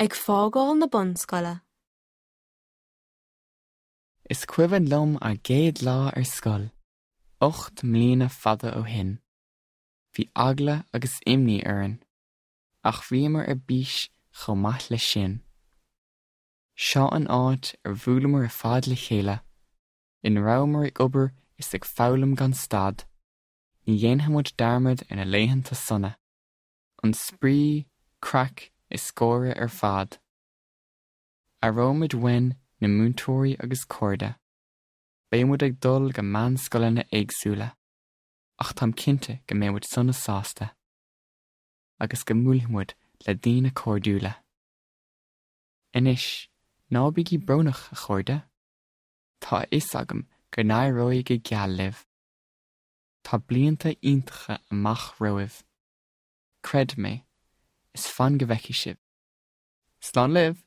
Ag fágáil na bunscoile. Is cuimhin liom ár gcéad lá ar scoil, 8 mbliana fada ó shin. Bhí eagla agus imní orainn, ach bhíomar ar bís chomh maith leis sin. Seo an áit ar bhuaileamar ar fad le chéile, ina rabhamar ag obair is ag foghlaim gan stad. Ní dhéanfaidh muid dearmad ar na laethanta sona, an spraoi, craic is gáire ar fad. Aireoimid uainn na múinteoirí agus cairde. Beidh muid ag dul go meánscoileanna éagsúla, ach táim cinnte go mbeidh muid sona sásta, agus go mbuailfidh muid le daoine cairdiúla. Anois, ná bígí brónach, a chairde. Tá a fhios agam go n-éireoidh go geal libh. Tá blianta iontacha amach romhaibh. Creid mé, is fan go bhfeicfidh sibh. Slán libh!